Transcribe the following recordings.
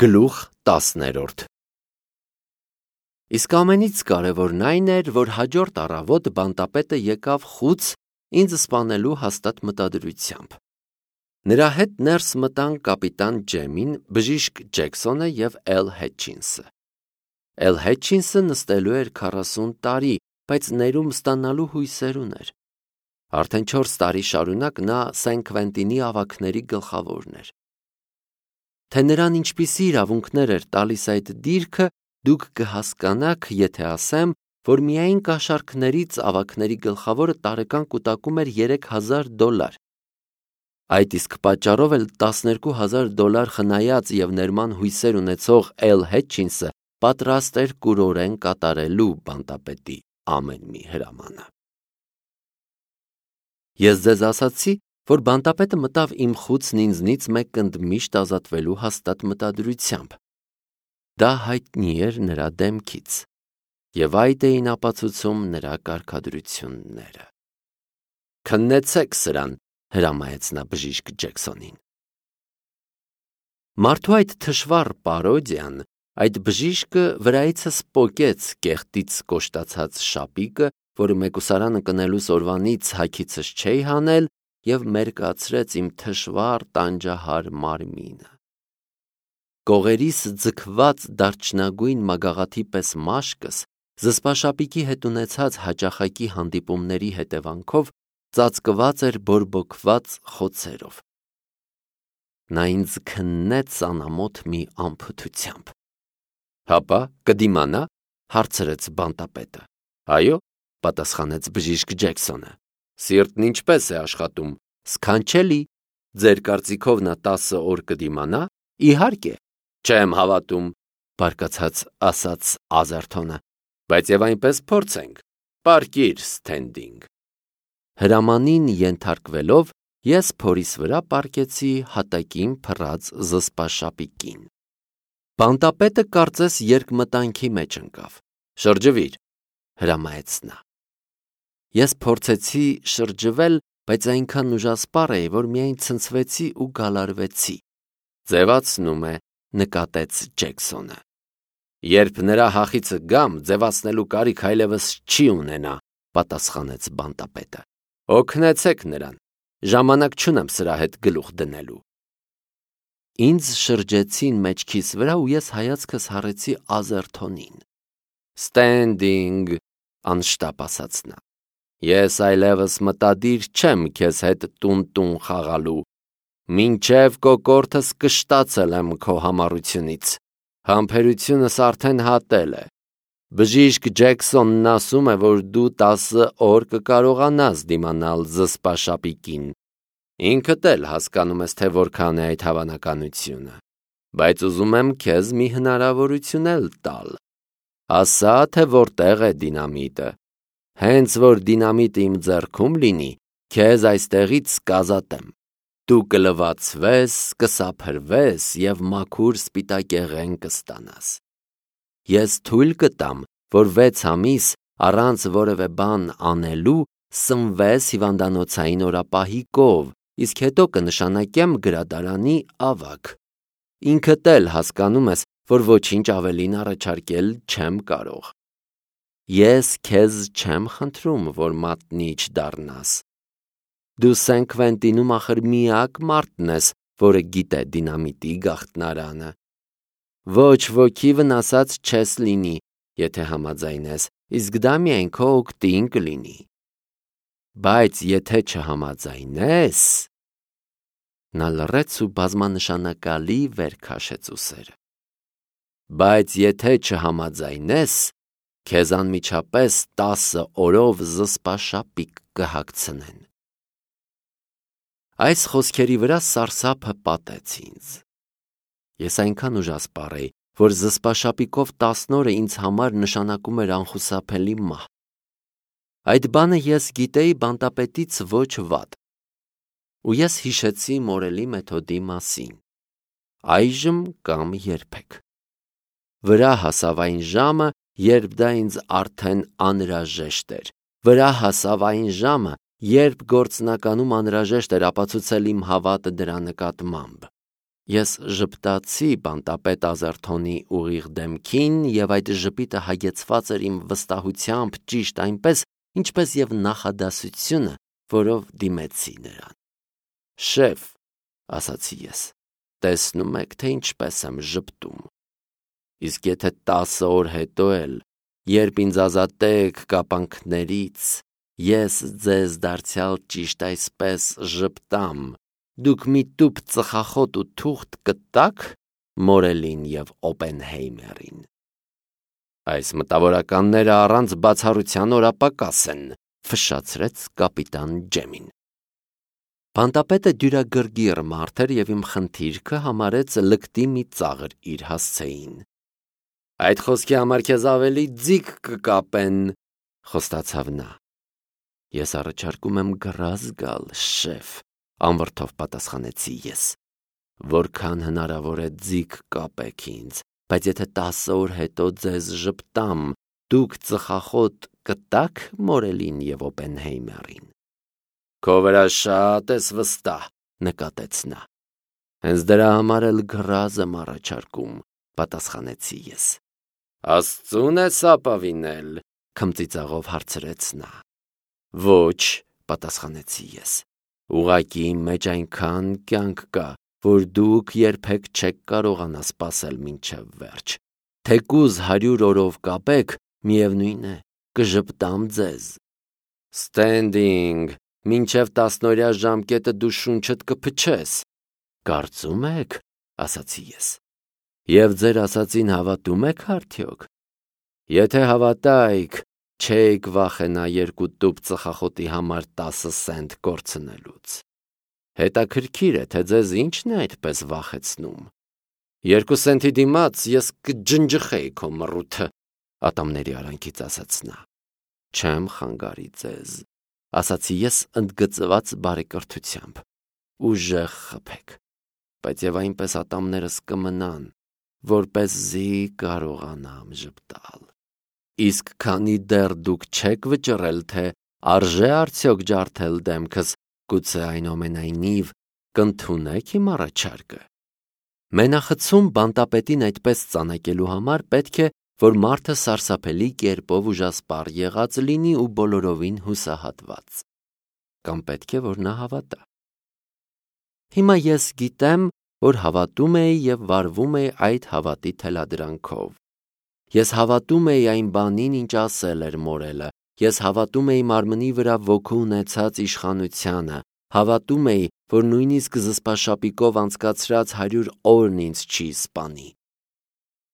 Գլուխ 10-րդ Իսկ ամենից կարևորն այն էր, որ հաջորդ առավոտ բանտապետը եկավ խուց ինձ սպանելու հաստատ մտադրությամբ։ Նրա հետ ներս մտան կապիտան Ջեմին, բժիշկ Ջեքսոնը և Էլ Հետչինսը։ Էլ Հետչինսը նստելու էր 40 տարի, բայց ներում ստանալու հույսեր ուներ։ Արդեն 4 տարի շարունակ նա Սեն Քվենտինի ավագների գլխավորն էր։ Թե նրան ինչպիսի իրավունքներ էր տալիս այդ դիրքը, դուք կհասկանաք, եթե ասեմ, որ միայն կաշառքներից ավագների գլխավորը տարեկան կուտակում էր $3000։ Այդ իսկ պատճառով էլ $12000 խնայած և ներման հույսեր ունեցող Էլ Հետչինսը պատրաստ էր կուրորեն կատարելու բանտապետի ամեն մի հրամանը։ Ես ձեզ ասացի, որ բանտապետը մտավ իմ խուցն ինձնից մեկ ընդմիշտ ազատվելու հաստատ մտադրությամբ։ Դա հայտնի էր նրա դեմքից, և այդ էին ապացուցում նրա կարգադրությունները։ «Քննեցեք սրան», հրամայեց նա բժիշկ Ջեքսոնին։ Մարդու այդ թշվառ պարոդիան, այդ բժիշկը վրայիցս պոկեց կեղտից կոշտացած շապիկը, որը մեկուսարանը կնելուս օրվանից հագիցս չէի հանել, և մերկացրեց իմ թշվառ տանջահար մարմինը։ Կողերիս ձգված դարչնագույն մագաղաթի պես մաշկս զսպաշապիկի հետ ունեցած հաճախակի հանդիպումների հետևանքով ծածկված էր բորբոքված խոցերով։ Նա ինձ քննեց անամոթ մի անփութությամբ։ «Հապա, կդիմանա», հարցրեց բանտապետը։ «Այո», պատասխանեց բժիշկ Ջեքսոնը։ «Սիրտն ինչպես է աշխատում»։ «Սքանչելի, ձեր կարծիքով նա 10 օր կդիմանա»։ «Իհարկե, չեմ հավատում», բարկացած ասաց Ազերթոնը։ «Բայց եւ այնպես փորձենք։ Պարկիր, Սթենդինգ»։ Հրամանին ենթարկվելով, ես փորիս վրա պառկեցի հատակին փռած զսպաշապիկին։ Բանտապետը կարծես երկմտանքի մեջ ընկավ։ «Շրջվիր», հրամայեց նա։ Ես փորձեցի շրջվել, բայց այնքան ուժասպառ էի, որ միայն ցնցվեցի ու գալարվեցի։ «Ձևացնում է», նկատեց Ջեքսոնը։ «Երբ նրա հախիցը գամ, ձևացնելու կարիք այլևս չի ունենա», պատասխանեց բանտապետը։ «Օգնեցեք նրան, ժամանակ չունեմ սրա հետ գլուխ դնելու»։ Ինձ շրջեցին մեջքիս վրա ու ես հայացքս հառեցի Ազերթոնին։ «Ստենդինգ», անշտապ ասաց նա։ «Ես այլևս մտադիր չեմ քեզ հետ տուն խաղալու։ Մինչև կոկորդս կշտացել եմ քո համառությունից։ Համբերությունս արդեն հատել է։ Բժիշկ Ջեքսոնն ասում է, որ դու 10 օր կկարողանաս դիմանալ զսպաշապիկին։ Ինքդ էլ հասկանում ես, թե որքան է այդ հավանականությունը։ Բայց ուզում եմ քեզ մի հնարավորություն էլ տալ։ Ասա, թե որտեղ է դինամիտը։ Հենց որ դինամիտը իմ ձեռքում լինի, քեզ այստեղից կազատեմ։ Դու կլվացվես, կսափրվես և մաքուր սպիտակեղեն կստանաս։ Ես թույլ կտամ, որ 6 ամիս առանց որևէ բան անելու սնվես հիվանդանոցային օրապահիկով, իսկ հետո կնշանակեմ գրադարանի ավագ։ Ինքդ էլ հասկանում ես, որ ոչինչ ավելին առաջարկել չեմ կարող։ Ես քեզ չեմ խնդրում, որ մատնիչ դառնաս։ Դու Սեն Քվենտինում ախր միակ մարդն ես, որը գիտե դինամիտի գաղտնարանը։ Ոչ ոքի վնասած չես լինի, եթե համաձայնես, իսկ դա միայն քո օգտին կլինի։ Բայց եթե չհամաձայնես… Նա լռեց ու բազմանշանակալի վեր քաշեց ուսերը։ Բայց եթե չհամաձայնես, քեզ անմիջապես 10 օրով զսպաշապիկ կհագցնեն։ Այս խոսքերի վրա սարսափը պատեց ինձ։ Ես այնքան ուժասպառ էի, որ զսպաշապիկով 10 օրը ինձ համար նշանակում էր անխուսափելի մահ։ Այդ բանը ես գիտեի բանտապետից ոչ վատ։ Ու ես հիշեցի մորելի մեթոդի մասին։ Այժմ կամ երբեք։ Վրա հասավ այն ժամը, երբ դա ինձ արդեն անհրաժեշտ էր։ Վրա հասավ այն ժամը, երբ գործնականում անհրաժեշտ էր ապացուցել իմ հավատը դրա նկատմամբ։ Ես ժպտացի բանտապետ Ազարթոնի ուղիղ դեմքին և այդ ժպիտը հագեցված էր իմ վստահությամբ ճիշտ այնպես, ինչպես և նախադասությունը, որով դիմեցի նրան։ «Շեֆ», ասացի ես, տեսնում եք, թե ինչպես եմ ժպտում։ Իսկ եթե 10 օր հետո էլ, երբ ինձ ազատեք կապանքներից, ես ձեզ դարձյալ ճիշտ այսպես ժպտամ, դուք մի տուփ ծխախոտ ու թուղթ կտա՞ք Մորելին և Օպենհեյմերին։ Այս մտավորականները առանց բացառության օրապակաս են, ֆշշացրեց կապիտան Ջեմին։ Բանտապետը դյուրագրգիռ մարդ էր և իմ խնդիրքը համարեց լկտի մի ծաղր իր հասցեին։ «Այդ խոսքի համար քեզ ավելի ձիգ կկապեն», խոստացավ նա։ «Ես առաջարկում եմ գրազ գալ, շեֆ», անվրդով պատասխանեցի ես։ «Որքան հնարավոր է ձիգ կապեք ինձ, բայց եթե 10 օր հետո ձեզ ժպտամ, դուք ծխախոտ կտա՞ք Մորելին և Օպենհեյմերին»։ «Քո վրա շատ ես վստահ», նկատեց նա։ «Հենց դրա համար էլ գրազ եմ առաջարկում», պատասխանեցի ես։ «Աստծուն ես ապավինել», քմծիծաղով հարցրեց նա։ «Ոչ», պատասխանեցի ես։ «Ուղղակի իմ մեջ այնքան կյանք կա, որ դուք երբեք չեք կարողանա սպասել մինչև վերջ։ Թեկուզ 100 օրով կապեք, միևնույն է, կժպտամ ձեզ»։ «Ստենդինգ, մինչև 10-օրյա ժամկետը դու շունչդ կփչես»։ «Կարծում եք», ասացի ես։ «Եվ ձեր ասածին հավատում եք արդյոք»։ «Եթե հավատայիք, չէիք վախենա 2 տուփ ծխախոտի համար 10 սենտ կորցնելուց։ Հետաքրքիր է, թե ձեզ ինչն է այդպես վախեցնում։ 2 սենտի դիմաց ես կջնջխեի քո մռութը», ատամների արանքից ասաց նա։ «Չեմ խանգարի ձեզ», ասացի ես ընդգծված բարեկրթությամբ։ «Ուժեղ խփեք, բայց և այնպես ատամներս կմնան, որպեսզի կարողանամ ժպտալ։ Իսկ քանի դեռ դուք չեք վճռել, թե արժե արդյոք ջարդել դեմքս, գուցե այնուամենայնիվ կընդունեք իմ առաջարկը»։ Մենախցում բանտապետին այդպես ծանակելու համար պետք է, որ մարդը սարսափելի կերպով ուժասպառ եղած լինի ու բոլորովին հուսահատված։ Կամ պետք է, որ նա հավատա։ Հիմա ես գիտեմ, որ հավատում էի և վարվում էի այդ հավատի թելադրանքով։ Ես հավատում էի այն բանին, ինչ ասել էր Մորելը, ես հավատում էի մարմնի վրա ոգու ունեցած իշխանությանը, հավատում էի, որ նույնիսկ զսպաշապիկով անցկացրած 100 օրն ինձ չի սպանի։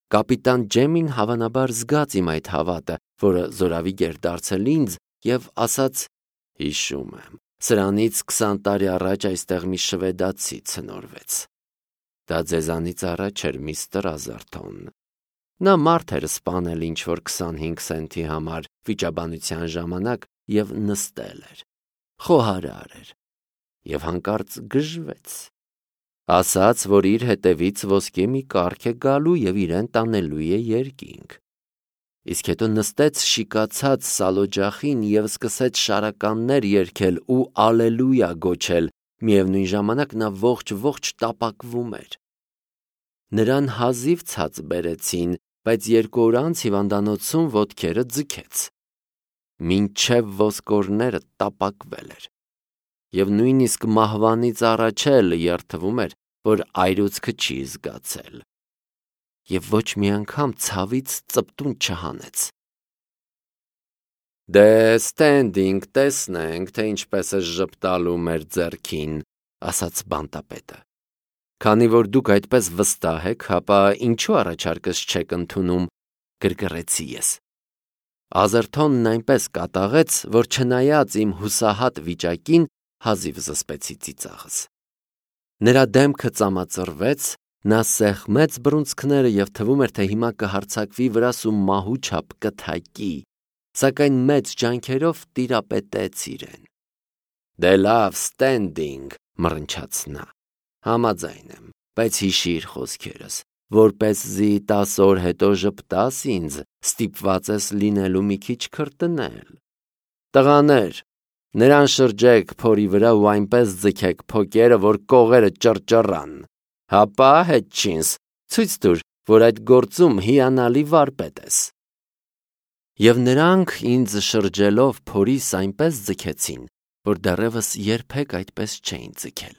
Կապիտան Ջեմին հավանաբար զգաց իմ այդ հավատը, որը զորավիգ էր դարձել ինձ, և ասաց. «Հիշում եմ, սրանից 20 տարի առաջ այստեղ մի շվեդացի ցնորվեց։ Դա ձեզանից առաջ էր, միստր Ազարթոն։ Նա մարդ էր սպանել ինչ-որ 25 սենտի համար վիճաբանության ժամանակ և նստել էր, խոհարար էր, և հանկարծ գժվեց։ Ասաց, որ իր հետևից ոսկե մի կառք է գալու և իրեն տանելու է երկինք։ Իսկ հետո նստեց շիկացած սալօջախին և սկսեց շարականներ երգել ու ալելույա գոչել, միևնույն ժամանակ նա ողջ տապակվում էր։ Նրան հազիվ ցած բերեցին, բայց 2 օր անց հիվանդանոցում ոտքերը ձգեց։ Մինչև ոսկորները տապակվել էր։ Եվ նույնիսկ մահվանից առաջ էլ երդվում էր, որ այրուցքը չի զգացել։ Եվ ոչ մի անգամ ցավից ծպտուն չհանեց։ «Դե Ստենդինգ, տեսնենք, թե ինչպես է ժպտալու մեր ձեռքին», ասաց բանտապետը։ «Քանի որ դուք այդպես վստահ եք, հապա ինչու առաջարկս չեք ընդունում», գրգռեցի ես։ Ազարթոնն այնպես կատաղեց, որ չնայած իմ հուսահատ վիճակին, հազիվ զսպեցի ծիծաղս։ Նրա դեմքը ծամածռվեց, նա սեղմեց բռունցքները և թվում էր, թե հիմա կհարձակվի վրաս ու մահու չափ կթակի, սակայն մեծ ջանքերով տիրապետեց իրեն։ «Դե լավ, Ստենդինգ», մռնչաց նա, «համաձայն եմ, բայց հիշիր խոսքերս, որպեսզի 10 օր հետո ժպտաս ինձ, ստիպված ես լինելու մի քիչ քրտնել։ Տղաներ, նրան շրջեք փորի վրա ու այնպես ձգեք փոկերը, որ կողերը ճռճռան։ Հապա Հետչինս, ցույց տուր, որ այդ գործում հիանալի վարպետ ես։ Եվ նրանք ինձ շրջելով փորիս այնպես ձգեցին, որ դեռևս երբեք այդպես չէին ձգել։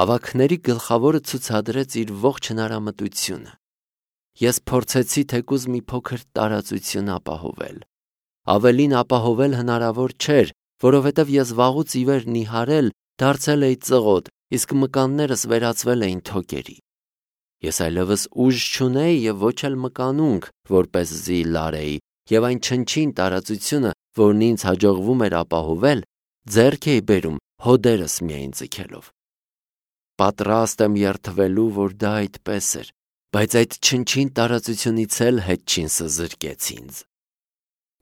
Ավագների գլխավորը ցուցադրեց իր ողջ հնարամտությունը։ Ես փորձեցի թեկուզ մի փոքր տարածություն ապահովել։ Ավելին ապահովել հնարավոր չէր, որովհետև ես վաղուց ի վեր նիհարել դարձել էի ծղոտ, իսկ մկաններս վերածվել էին թոկերի։ Ես այլևս ուժ չունեի և ոչ էլ մկանունք, որպեսզի լարեի, և այն չնչին տարածությունը, որն ինձ հաջողվում էր ապահովել, ձեռք էի բերում հոդերս միայն ձգելով։ Պատրաստ եմ երդվելու, որ դա այդպես էր, բայց այդ չնչին տարածությունից էլ Հետչինսը զրկեց ինձ։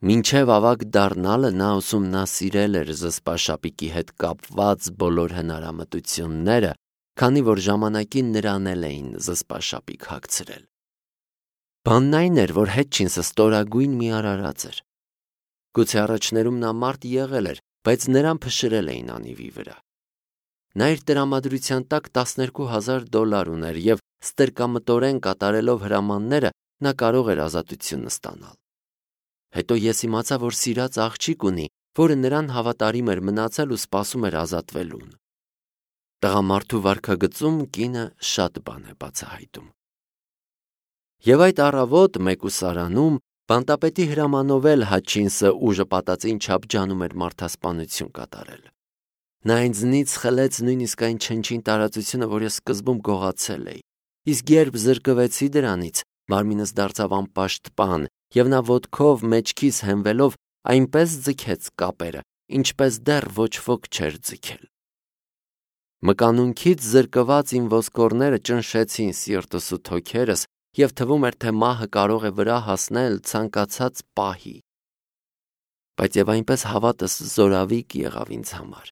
Մինչև ավագ դառնալը նա ուսումնասիրել էր զսպաշապիկի հետ կապված բոլոր հնարամտությունները, քանի որ ժամանակին նրան էլ էին զսպաշապիկ հագցրել։ Բանն այն էր, որ Հետչինսը ստորագույն մի արարած էր։ Գուցե առաջներում նա մարդ եղել էր, բայց նրան փշրել էին անիվի վրա։ Նա իր տրամադրության տակ $12,000 ուներ և ստրկամտորեն կատարելով հրամանները նա կարող էր ազատություն ստանալ։ Հետո ես իմացա, որ սիրած աղջիկ ունի, որը նրան հավատարիմ էր մնացել ու սպասում էր ազատվելուն։ Տղամարդու վարքագծում կինը շատ բան է բացահայտում։ Եվ այդ առավոտ մեկուսարանում բանտապետի հրամանով էլ Հատչինսը ուժը պատածին չափ ջանում էր մարդասպանություն կատարել։ Նա ինձնից խլեց նույնիսկ այն չնչին տարածությունը, որ ես սկզբում գողացել էի, իսկ երբ զրկվեցի դրանից, մարմինս դարձավ անպաշտպան, և նա ոտքով մեջքիս հենվելով այնպես ձգեց կապերը, ինչպես դեռ ոչ ոք չէր ձգել։ Մկանունքից զրկված իմ ոսկորները ճնշեցին սիրտս ու թոքերս, և թվում էր, թե մահը կարող է վրա հասնել ցանկացած պահի։ Բայց և այնպես հավատս զորավիք եղավ ինձ համար։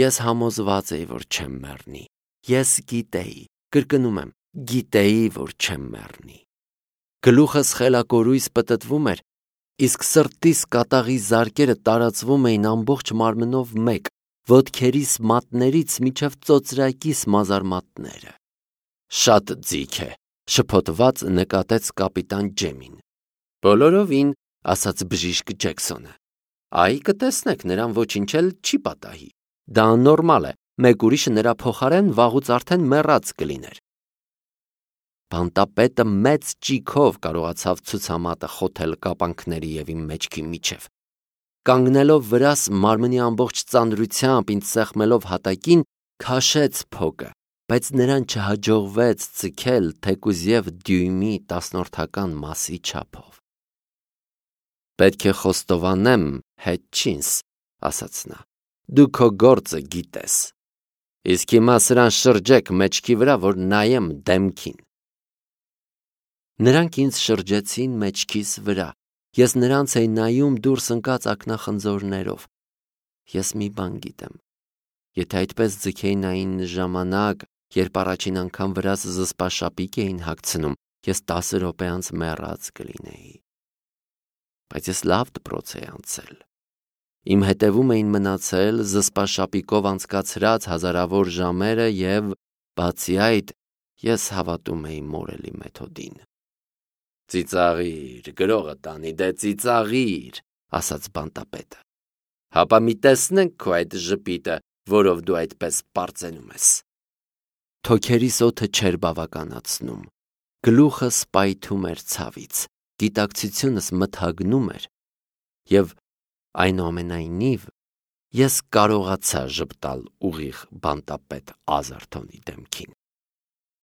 Ես համոզված էի, որ չեմ մեռնի։ Ես գիտեի, կրկնում եմ, գիտեի, որ չեմ մեռնի։ Գլուխս խելակորույս պտտվում էր, իսկ սրտիս կատաղի զարկերը տարածվում էին ամբողջ մարմնով մեկ, ոտքերիս մատներից մինչև ծոծրակիս մազարմատները։ Շատ ձիգ է, շփոթված նկատեց կապիտան Ջեմին։ Բոլորովին, ասաց բժիշկ Ջեքսոնը։ Այ կտեսնեք, նրան ոչինչ էլ չի պատահի։ Դա աննորմալ է, մեկ ուրիշը նրա փոխարեն վաղուց արդեն մեռած կլիներ։ Բանտապետը մեծ ճիգով կարողացավ ցուցամատը խոթել կապանքների և իմ մեջքի միջև։ Կանգնելով վրաս մարմնի ամբողջ ծանրությամբ ինձ սեղմելով հատակին, քաշեց փոկը, բայց նրան չհաջողվեց ձգել թեկուզև դյույմի 10-որդական մասի չափով։ Պետք է խոստովանեմ, Հետչինս, ասաց նա, դու քո գործը գիտես։ Իսկ հիմա սրան շրջեք մեջքի վրա, որ նայեմ դեմքին։ Նրանք ինձ շրջեցին մեջքիս վրա, ես նրանց էի նայում դուրս ընկած ակնախնձորներով։ Ես մի բան գիտեմ. եթե այդպես ձգեին այն ժամանակ, երբ առաջին անգամ վրաս զսպաշապիկ էին հագցնում, ես 10 րոպե անց մեռած կլինեի։ Բայց ես լավ դպրոց էի անցել։ Իմ հետևում էին մնացել զսպաշապիկով անցկացրած հազարավոր ժամերը և, բացի այդ, ես հավատում էի մորելի մեթոդին։ Ծիծաղիր, գրողը տանի, դե ծիծաղիր, ասաց բանտապետը։ Հապա մի տեսնենք քո այդ ժպիտը, որով դու այդպես պարծենում ես։ Թոքերիս օդը չէր բավականացնում, գլուխս պայթում էր ցավից, գիտակցությունս մթագնում էր, և այնուամենայնիվ ես կարողացա ժպտալ ուղիղ բանտապետ Ազարթոնի դեմքին։